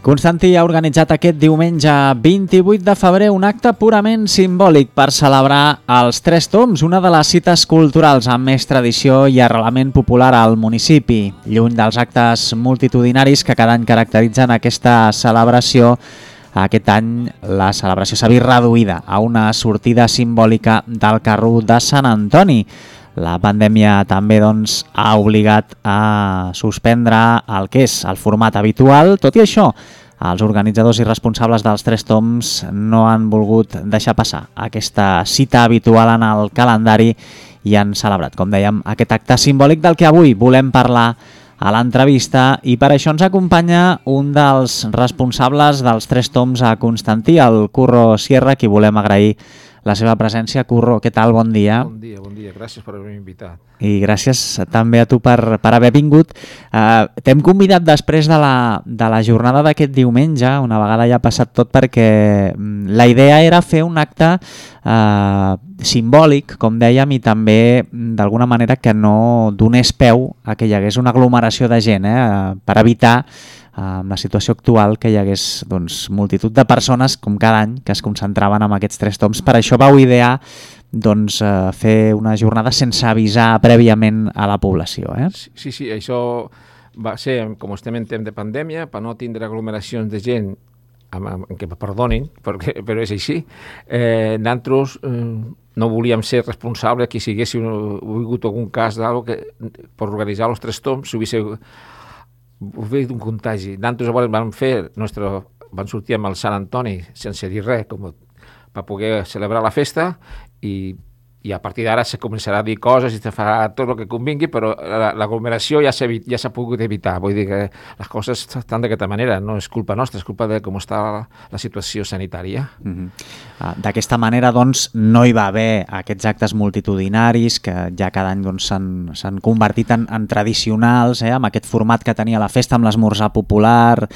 Constantí ha organitzat aquest diumenge 28 de febrer un acte purament simbòlic per celebrar els Tres Tombs, una de les cites culturals amb més tradició i arrelament popular al municipi. Lluny dels actes multitudinaris que cada any caracteritzen aquesta celebració, aquest any la celebració s'ha vist reduïda a una sortida simbòlica del carro de Sant Antoni. La pandèmia també ha obligat a suspendre el que és el format habitual. Tot i això, els organitzadors i responsables dels Tres Tombs no han volgut deixar passar aquesta cita habitual en el calendari i han celebrat, com dèiem, aquest acte simbòlic del que avui volem parlar a l'entrevista, i per això ens acompanya un dels responsables dels Tres Tombs a Constantí, el Curro Sierra, a qui volem agrair la seva presència. Curro, què tal? Bon dia. Bon dia. Gràcies per haver-me invitat. I gràcies també a tu per haver vingut. T'hem convidat després de la jornada d'aquest diumenge, una vegada ja ha passat tot, perquè la idea era fer un acte simbòlic, com dèiem, i també d'alguna manera que no donés peu a que hi hagués una aglomeració de gent, per evitar amb la situació actual que hi hagués multitud de persones, com cada any, que es concentraven en aquests Tres Tombs. Per això vau idear fer una jornada sense avisar prèviament a la població. Sí, això va ser, com estem en temps de pandèmia, per no tindre aglomeracions de gent, que me perdonin, però és així. Nosaltres no volíem ser responsables que si haguéssim volgut algun cas per organitzar els Tres Tombs, si hubiese un contagi. Nosaltres vam sortir amb el Sant Antoni sense dir res, per poder celebrar la festa, i a partir d'ara se començarà a dir coses i se farà tot el que convingui, però l'aglomeració ja s'ha pogut evitar. Vull dir que les coses estan d'aquesta manera, no és culpa nostra, és culpa de com està la situació sanitària. D'aquesta manera, no hi va haver aquests actes multitudinaris que ja cada any s'han convertit en tradicionals, amb aquest format que tenia la festa, amb l'esmorzar popular,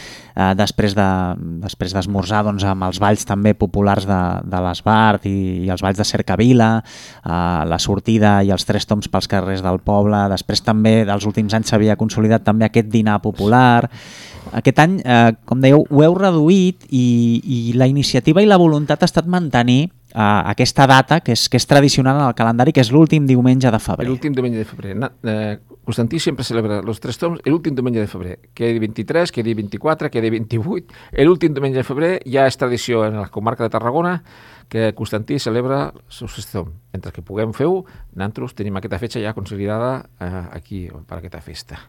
després d'esmorzar amb els balls també populars de l'Esbart i els balls de Cercavila, la sortida i els Tres Tombs pels carrers del poble. Després també, dels últims anys, s'havia consolidat també aquest dinar popular. Aquest any, com dèieu, ho heu reduït, i la iniciativa i la voluntat ha estat mantenir aquesta data que és tradicional en el calendari, que és l'últim diumenge de febrer. L'últim diumenge de febrer. Constantí sempre celebra els Tres Tombs l'últim diumenge de febrer. Quedi 23, quedi 24, quedi 28. L'últim diumenge de febrer ja és tradició en la comarca de Tarragona que Constantí celebra els Tres Tombs. Mentre que puguem fer-ho, nosaltres tenim aquesta fetge ja consolidada aquí per aquesta festa.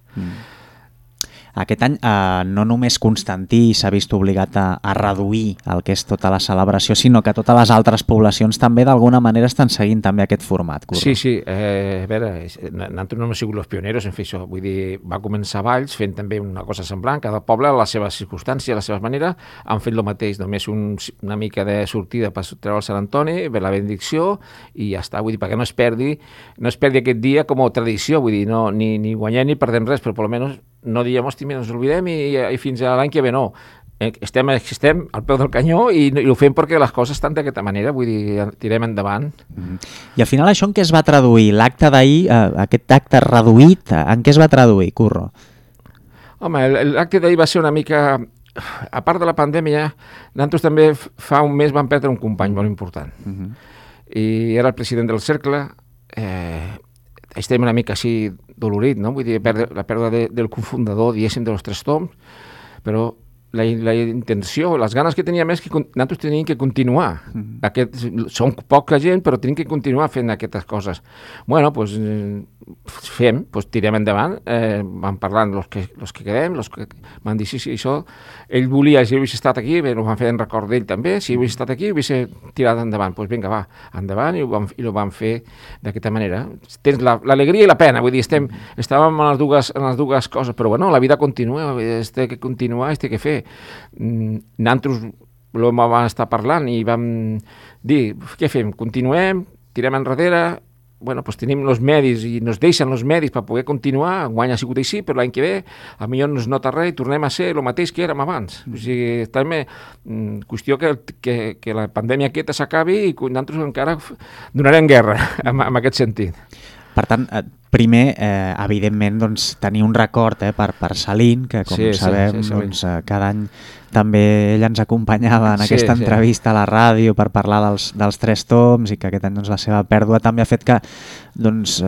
Aquest any no només Constantí s'ha vist obligat a reduir el que és tota la celebració, sinó que totes les altres poblacions també d'alguna manera estan seguint també aquest format. Curro. Sí. A veure, nosaltres no hem sigut els pioneros en fer això. Vull dir, va començar Valls fent també una cosa semblant. Cada poble, a les seves circumstàncies, a la seva manera, han fet el mateix. Només una mica de sortida per treure el Sant Antoni, ve la benedicció i ja està. Vull dir, perquè no es perdi aquest dia com a tradició. Vull dir, no, ni guanyem ni perdem res, però almenys no diem, hosti, ens oblidem i fins a l'any que ve, no. Estem al peu del canyó i ho fem perquè les coses estan d'aquesta manera, vull dir, tirem endavant. I al final això en què es va traduir? L'acte d'ahir, aquest acte reduït, en què es va traduir, Curro? Home, l'acte d'ahir va ser una mica... A part de la pandèmia, nosaltres també fa un mes vam perdre un company molt important. I era el president del cercle. Estem una mica així dolorit, no? Vull dir, la pèrdua del cofundador, diguéssim, dels Tres Tombs, però la intenció, les ganes que teníem és que nosaltres teníem que continuar. Som poca gent, però tenim que continuar fent aquestes coses. Bueno, doncs tirem endavant, vam parlant els que quedem, els que van dir sí, això. Ell volia, si hagués estat aquí, ho van fer en record d'ell també, si hagués estat aquí, hagués tirat endavant. Doncs vinga, va, endavant, i ho vam fer d'aquesta manera. Tens l'alegria i la pena, vull dir, estàvem en les dues coses, però bueno, la vida continua, té que continuar, té que fer. Nosaltres vam estar parlant i vam dir, què fem? Continuem, tirem enrere, bueno, doncs tenim els medis i ens deixen els medis per poder continuar. Enguany ha sigut així, però l'any que ve potser no es nota res i tornem a ser el mateix que érem abans. O sigui, també qüestió que la pandèmia aquesta s'acabi i nosaltres encara donarem guerra en aquest sentit. Per tant, Primer, evidentment, doncs, tenir un record per Salín, que com sabem, doncs, cada any també ell ens acompanyava en aquesta entrevista a la ràdio per parlar dels Tres Toms, i que aquest any doncs, la seva pèrdua també ha fet que doncs,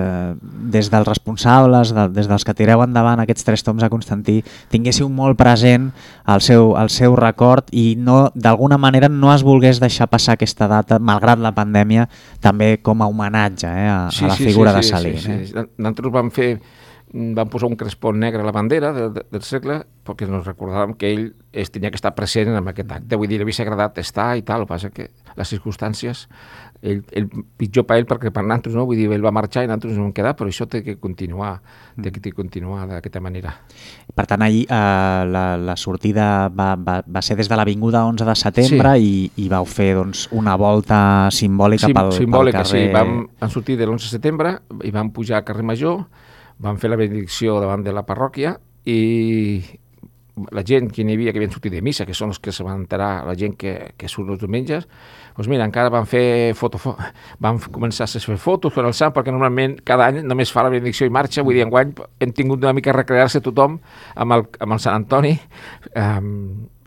des dels responsables, des dels que tireu endavant aquests Tres Toms a Constantí, tinguéssiu molt present el seu record i d'alguna manera no es volgués deixar passar aquesta data, malgrat la pandèmia, també com a homenatge a la figura de Salín. Nosaltres vam posar un crespó negre a la bandera del cercle perquè ens recordàvem que ell tenia que estar present en aquest acte. Vull dir, li havia agradat estar i tal, el que passa que les circumstàncies, el pitjor per ell perquè per nosaltres, no? Vull dir, ell va marxar i nosaltres ens vam quedar, però això té que continuar d'aquesta manera. Per tant, ahir la sortida va ser des de l'Avinguda 11 de setembre i vau fer doncs, una volta simbòlica pel carrer... Sí, vam sortir de l'11 de setembre i vam pujar al carrer Major, vam fer la benedicció davant de la parròquia i la gent que n'hi havia que havien sortit de missa, que són els que se van enterar, la gent que surt els diumenges, doncs mira, encara van fer vam començar a fer fotos per al sant, perquè normalment cada any només fa la benedicció i marxa. Vull dir, enguany hem tingut una mica a recrear-se tothom amb el Sant Antoni,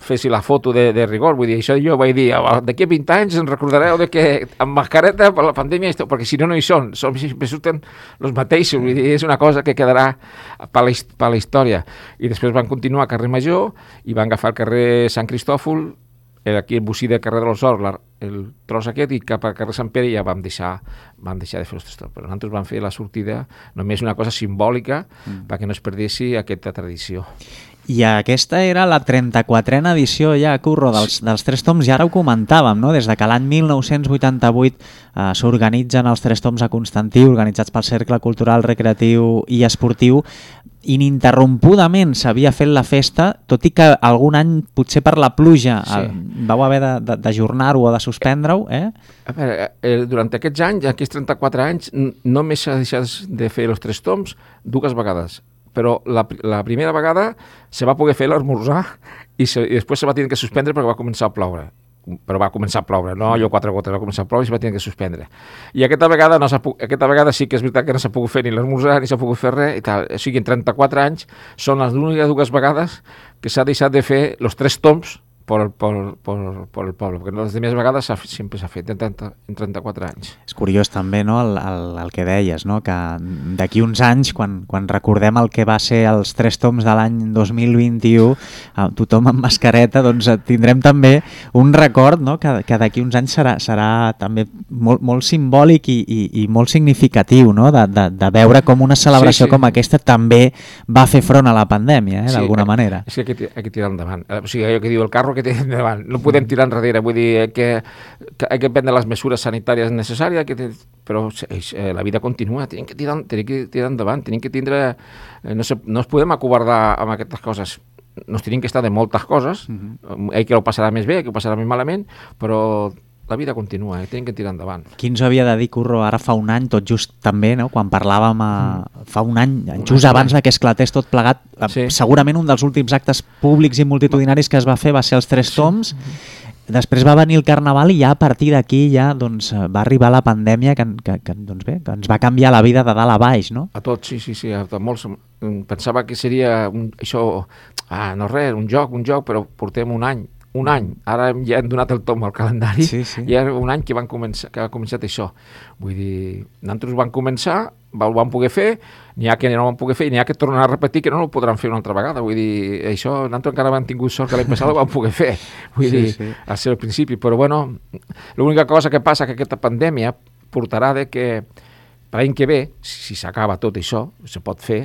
fessi la foto de rigor. Vull dir, això jo vaig dir, d'aquí a 20 anys ens recordareu de que amb mascareta per la pandèmia, perquè si no hi són, sempre surten els mateixos. Vull dir, és una cosa que quedarà per la història. I després van continuar a carrer Major i van agafar el carrer Sant Cristòfol, aquí el bocí del carrer de los Horts, el tros aquest, i cap al carrer Sant Pere ja vam deixar de fer els Tres Toms. Però nosaltres vam fer la sortida només una cosa simbòlica perquè no es perdessi aquesta tradició. I aquesta era la 34a edició ja, Curro, dels Tres Toms, i ara ho comentàvem, no? Des de que l'any 1988 s'organitzen els Tres Toms a Constantí, organitzats pel Cercle Cultural, Recreatiu i Esportiu, ininterrompudament s'havia fet la festa, tot i que algun any, potser per la pluja, vau haver d'ajornar-ho o de suspendre-ho, A veure, durant aquests anys, aquests 34 anys, només s'ha deixat de fer els Tres Toms 2 vegades. Però la primera vegada se va poder fer l'esmorzar i després se va tenir que suspendre perquè va començar a ploure. Però va començar a ploure, no allò 4 gotes, va començar a ploure i se va tenir que suspendre. I aquesta vegada sí que és veritat que no s'ha pogut fer ni l'esmorzar ni s'ha pogut fer res i tal. O sigui, en 34 anys són les úniques 2 vegades que s'ha deixat de fer els Tres Toms per el poble, perquè les demés vegades sempre s'ha fet en 34 anys. És curiós també, no, el que deies, no? Que d'aquí uns anys, quan recordem el que va ser els Tres Toms de l'any 2021, tothom amb mascareta, doncs tindrem també un record, no? Que d'aquí uns anys serà també molt simbòlic i molt significatiu, no? De veure com una celebració com aquesta també va fer front a la pandèmia, d'alguna manera. És que hay que tirar endavant. O sigui, allò que diu el carro que té endavant. No podem tirar enrere, vull dir que hay que prendre les mesures sanitàries necessàries, però la vida continua, tenim que tirar endavant, tenim que tindre... No ens podem acobardar amb aquestes coses. Nos tenim que estar de moltes coses, hay que ho passarà més bé, que ho passarà més malament, però la vida continua, tenim que tirar endavant. Qui ens havia de dir, Curro, ara fa un any, tot just també, no? Quan parlàvem fa un any, just abans que esclatés tot plegat, segurament un dels últims actes públics i multitudinaris que es va fer va ser els Tres Toms. Després va venir el Carnaval i ja a partir d'aquí doncs, va arribar la pandèmia que ens va canviar la vida de dalt a baix, no? A tots, sí, a molts. Pensava que seria no res, un joc, però portem un any. Ara ja hem donat el tom al calendari, i era un any que ha començat això. Vull dir, nosaltres vam començar, ho vam poder fer, n'hi ha que no ho vam poder fer, i n'hi ha que tornar a repetir que no ho podran fer una altra vegada. Vull dir, això nosaltres encara hem tingut sort que l'any passat ho vam poder fer. Vull dir, al seu principi, però bueno, l'única cosa que passa que aquesta pandèmia portarà de que l'any que ve, si s'acaba tot això, se pot fer,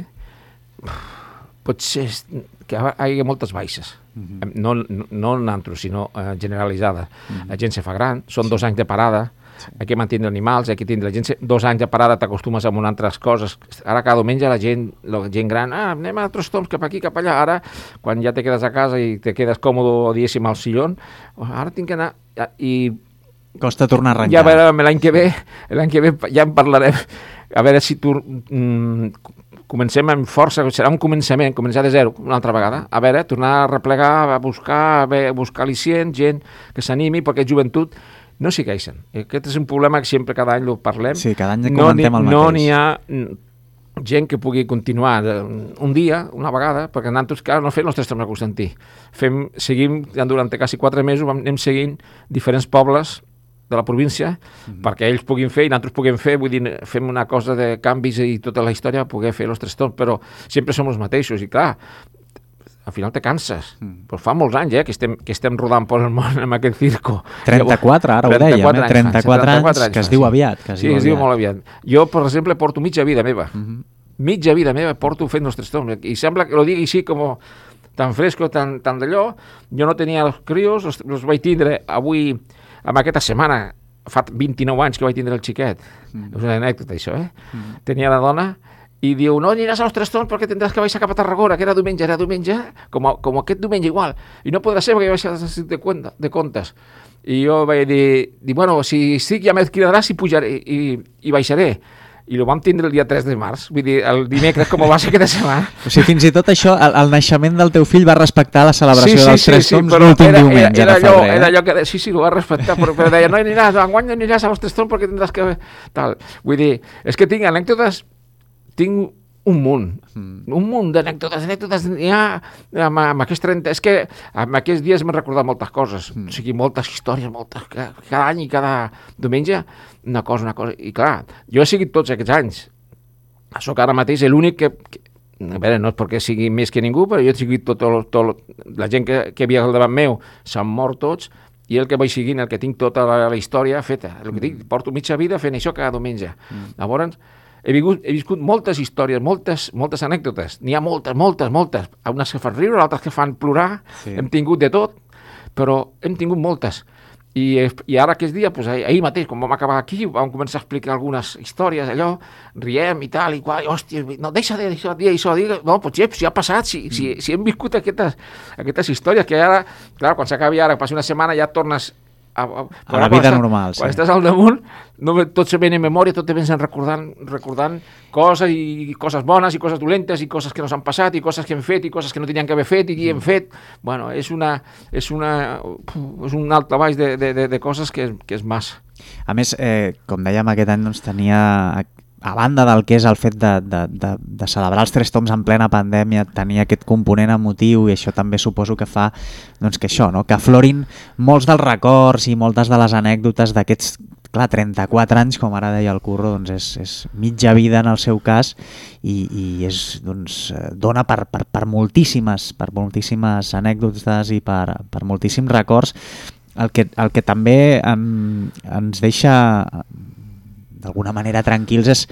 pot ser que hi hagi moltes baixes. No nosaltres, sinó generalitzada. La gent se fa gran, són 2 anys de parada, hay que mantenir animals, hay que tindre la gent 2 anys de parada, t'acostumes a altres coses. Ara cada diumenge la gent gran, anem a altres toms cap aquí, cap allà. Ara, quan ja te quedes a casa i te quedes còmode, diguéssim, al sillón, ara tinc que anar i... Costa tornar a arrencar. Ja a veure, l'any que ve ja en parlarem, a veure si comencem amb força, serà un començament, començar de zero una altra vegada, a veure, tornar a replegar, a buscar al·licients, gent que s'animi, perquè joventut no s'hi queixen. Aquest és un problema que sempre cada any ho parlem. Sí, cada any comentem el mateix. No n'hi ha gent que pugui continuar un dia, una vegada, perquè nosaltres, clar, no fem els 3 toms de Constantí. Seguim, durant quasi 4 mesos, anem seguint diferents pobles de la província, perquè ells puguin fer i nosaltres puguem fer, vull dir, fem una cosa de canvis i tota la història, poder fer els 3 toms, però sempre som els mateixos, i clar, al final te canses. Però fa molts anys que estem rodant per el món amb aquest circo. 34, ara ho dèiem, 34 anys, que es diu aviat. Sí, es diu molt aviat. Jo, per exemple, porto mitja vida meva. Mitja vida meva porto fent els 3 toms. I sembla que lo digui així com tan fresco, tan d'allò. Jo no tenia els crios, els vaig tindre avui, amb aquesta setmana, fa 29 anys que vaig tindre el xiquet. És una anècdota, això, Tenia la dona i diu, no aniràs als 3 toms perquè tindràs que baixar cap a Tarragona, que era diumenge, com aquest diumenge igual, i no podrà ser perquè vaig a de comptes. I jo vaig dir, bueno, si estic ja m'hi cridaràs i pujaré, i baixaré. I ho vam tindre el dia 3 de març, vull dir, el dimecres, com va ser aquesta setmana. O sigui, fins i tot això, el naixement del teu fill va respectar la celebració dels 3 toms l'últim diumenge de febrer. Era allò que, sí, ho va respectar, però deia, no aniràs, enguany no aniràs als 3 toms perquè tindràs que... Tal. Vull dir, és que tinc anècdotes, tinc un munt d'anècdotes, n'hi ha amb aquests 30... És que en aquests dies m'he recordat moltes coses, o sigui, moltes històries, cada any i cada diumenge, una cosa, i clar, jo he seguit tots aquests anys, sóc ara mateix l'únic que a veure, no és perquè sigui més que ningú, però jo he seguit la gent que hi havia al davant meu, s'han mort tots, i el que vaig seguint, el que tinc tota la història feta, el que dic, porto mitja vida fent això cada diumenge. Llavors, he viscut moltes històries, moltes anècdotes, n'hi ha moltes, unes que fan riure, altres que fan plorar, hem tingut de tot, però hem tingut moltes. I ara aquest dia, doncs, ahir mateix, quan vam acabar aquí, vam començar a explicar algunes històries, allò, riem i tal, i qual, hòstia, no, deixa de dir això, no, doncs ja ha passat, si hem viscut aquestes històries, que ara, clar, quan s'acabi ara, passi una setmana, ja tornes a la vida normal. Quan estàs al damunt, tot se ven en memòria, tot te vens recordant coses, i coses bones, i coses dolentes, i coses que no s'han passat, i coses que hem fet, i coses que no tenien que haver fet, i que hem fet. Bueno, és un alt baix de coses que és massa. A més, com dèiem, aquest any doncs, tenia, a banda del que és el fet de celebrar els 3 toms en plena pandèmia, tenir aquest component emotiu, i això també suposo que fa doncs, que això, no? Que aflorin molts dels records i moltes de les anècdotes d'aquests, clar, 34 anys, com ara deia el Curro, doncs és mitja vida en el seu cas, i és, doncs, dona per moltíssimes anècdotes i per moltíssims records. El que també ens deixa d'alguna manera tranquils és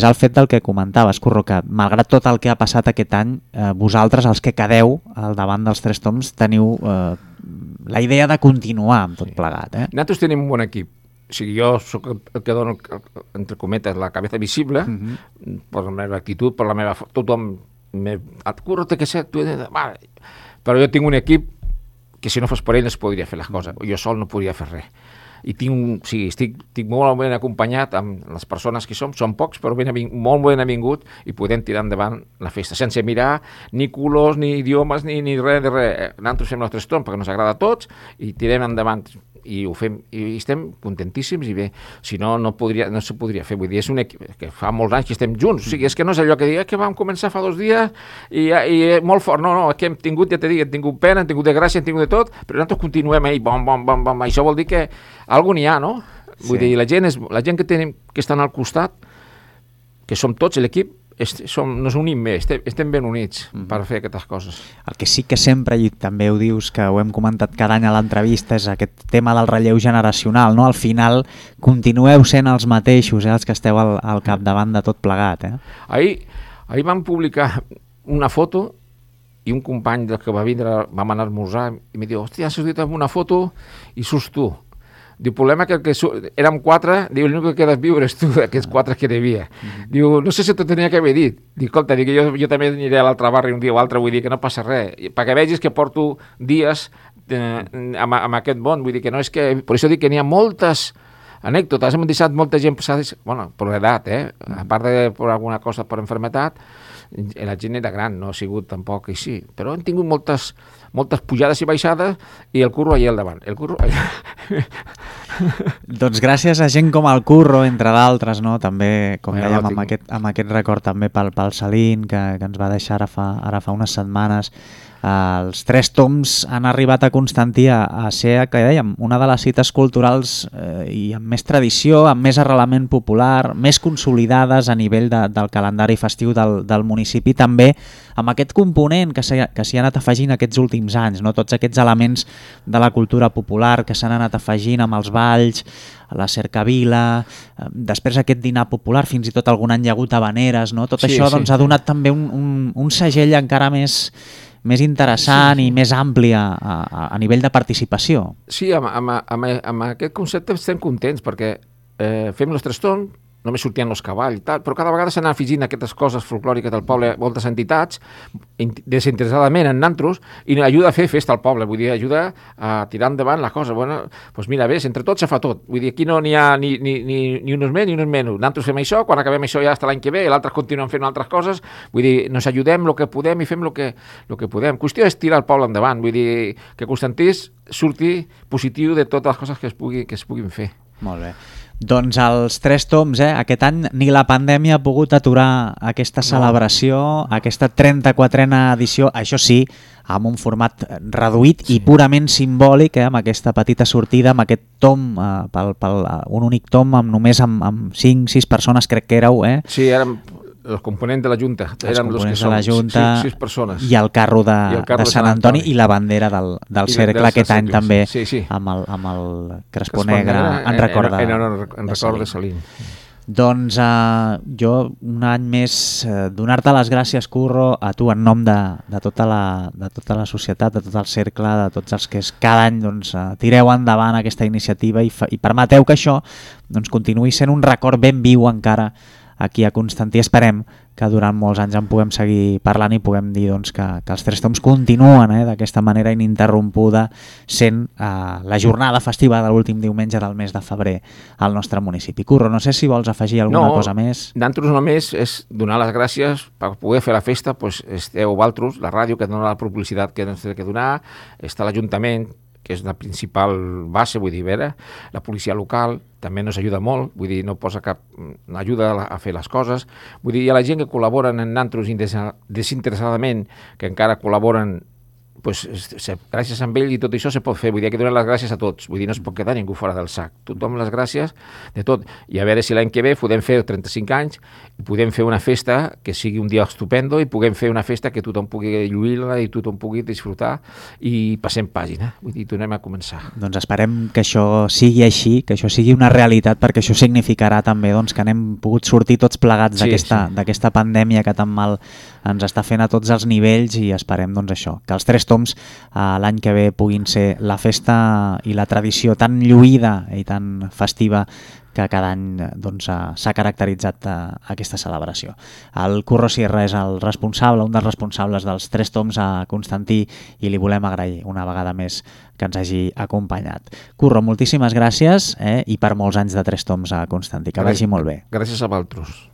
el fet del que comentaves, Curro, que malgrat tot el que ha passat aquest any, vosaltres, els que quedeu al davant dels 3 toms, teniu la idea de continuar amb tot plegat. Nosaltres tenim un bon equip. O sigui, jo soc el que dono, entre cometes, la cabeza visible, per la meva actitud, per la meva... Tothom... Curro, té que ser... Però jo tinc un equip que si no fos per ell es podria fer les coses. Jo sol no podria fer res. I estic molt ben acompanyat amb les persones que som pocs, però molt ben avingut, i podem tirar endavant la festa, sense mirar ni colors, ni idiomes, ni res de res. Nosaltres fem els 3 toms perquè ens agrada a tots, i tirem endavant, i ho fem, i estem contentíssims, i bé, si no, no se podria fer. Vull dir, és un equip que fa molts anys que estem junts, o sigui, és que no és allò que dic, que vam començar fa 2 dies, i molt fort, no, és que hem tingut, ja t'he dit, hem tingut pena, hem tingut de gràcia, hem tingut de tot, però nosaltres continuem ahí, bom, això vol dir que algú n'hi ha, no? Vull dir, la gent que tenim, que estan al costat, que som tots l'equip, nos unim més, estem ben units per fer aquestes coses. El que sí que sempre, i també ho dius, que ho hem comentat cada any a l'entrevista, és aquest tema del relleu generacional, no? Al final continueu sent els mateixos, els que esteu al capdavant de tot plegat. Ahir vam publicar una foto, i un company que va vindre, vam anar a esmorzar, i em diu, hòstia, has sortit amb una foto i surts tu. Diu, problema que érem 4, diu, l'únic que quedes viure és tu, d'aquests 4 que hi havia. Diu, no sé si t'ho tenia que haver dit. Diu, escolta, jo també aniré a l'altre barri un dia o altre, vull dir que no passa res. Perquè vegis que porto dies amb aquest món, vull dir que no és que... Per això dic que n'hi ha moltes anècdotes, hem deixat molta gent passades, bueno, per l'edat, a part de per alguna cosa, per enfermetat, la gent era gran, no ha sigut tampoc així, però hem tingut moltes pujades i baixades, i el Curro allà al davant. El Curro allà... Doncs gràcies a gent com el Curro, entre d'altres, no? També, com dèiem, amb aquest record també pel Salín, que ens va deixar ara fa unes setmanes. Els 3 toms han arribat a Constantí a ser, que dèiem, una de les cites culturals i amb més tradició, amb més arrelament popular, més consolidades a nivell del calendari festiu del municipi, també amb aquest component que s'hi ha anat afegint aquests últims anys, no? Tots aquests elements de la cultura popular que s'han anat afegint amb els balls, la cercavila, després aquest dinar popular, fins i tot algun any hi ha hagut habaneres, no? Tot això doncs, ha donat també un segell encara més interessant i més ampli a nivell de participació. Sí, amb aquest concepte estem contents perquè fem els 3 toms, només sortien els cavalls i tal, però cada vegada s'han afegint aquestes coses folclòriques del poble, moltes entitats, desinteressadament en nantros, i ajuda a fer festa al poble, vull dir, ajuda a tirar endavant la cosa. Bueno, doncs mira, ves, entre tots se fa tot. Vull dir, aquí no n'hi ha ni uns més ni uns menys. Nantros fem això, quan acabem això ja està l'any que ve, l'altre continuen fent altres coses, vull dir, nos ajudem el que podem i fem el que podem. Qüestió és tirar el poble endavant, vull dir, que Constantí surti positiu de totes les coses que es puguin fer. Molt bé. Doncs els 3 toms, aquest any ni la pandèmia ha pogut aturar aquesta celebració, aquesta 34a edició, això sí, amb un format reduït i purament simbòlic, amb aquesta petita sortida, amb aquest tom, un únic tom, només amb 5-6 persones, crec que éreu. Sí, érem els components de la Junta, érem els que som, 6 persones. I el carro de Sant Antoni i la bandera del cercle aquest any també, amb el crespó negre en record de Salín. Doncs jo un any més donar-te les gràcies, Curro, a tu en nom de tota la societat, de tot el cercle, de tots els que cada any tireu endavant aquesta iniciativa i permeteu que això continuï sent un record ben viu encara aquí a Constantí. Esperem que durant molts anys en puguem seguir parlant i puguem dir que els 3 toms continuen d'aquesta manera ininterrompuda sent la jornada festiva de l'últim diumenge del mes de febrer al nostre municipi. Curro, no sé si vols afegir alguna cosa més. Nosaltres només és donar les gràcies per poder fer la festa. Esteu vosaltres, la ràdio, que dona la publicitat que ens té que donar, està l'Ajuntament, que és la principal base, vull dir, la policia local també ens ajuda molt, vull dir, no posa cap ajuda a fer les coses, vull dir, hi ha la gent que col·laboren en nantros desinteressadament, que encara col·laboren, gràcies a ell i tot això se pot fer, vull dir, que donar les gràcies a tots, vull dir, no es pot quedar ningú fora del sac, tothom les gràcies de tot, i a veure si l'any que ve podem fer 35 anys i podem fer una festa que sigui un dia estupendo i puguem fer una festa que tothom pugui lluir-la i tothom pugui disfrutar i passem pàgina, vull dir, tornem a començar. Doncs esperem que això sigui així, que això sigui una realitat, perquè això significarà també que n'hem pogut sortir tots plegats d'aquesta pandèmia que tan mal ens està fent a tots els nivells i esperem això, que els 3 toms l'any que ve puguin ser la festa i la tradició tan lluïda i tan festiva que cada any s'ha caracteritzat aquesta celebració. El Curro Sierra és el responsable, un dels responsables dels 3 toms a Constantí i li volem agrair una vegada més que ens hagi acompanyat. Curro, moltíssimes gràcies i per molts anys de 3 toms a Constantí. Que vagi molt bé. Gràcies a vosaltres.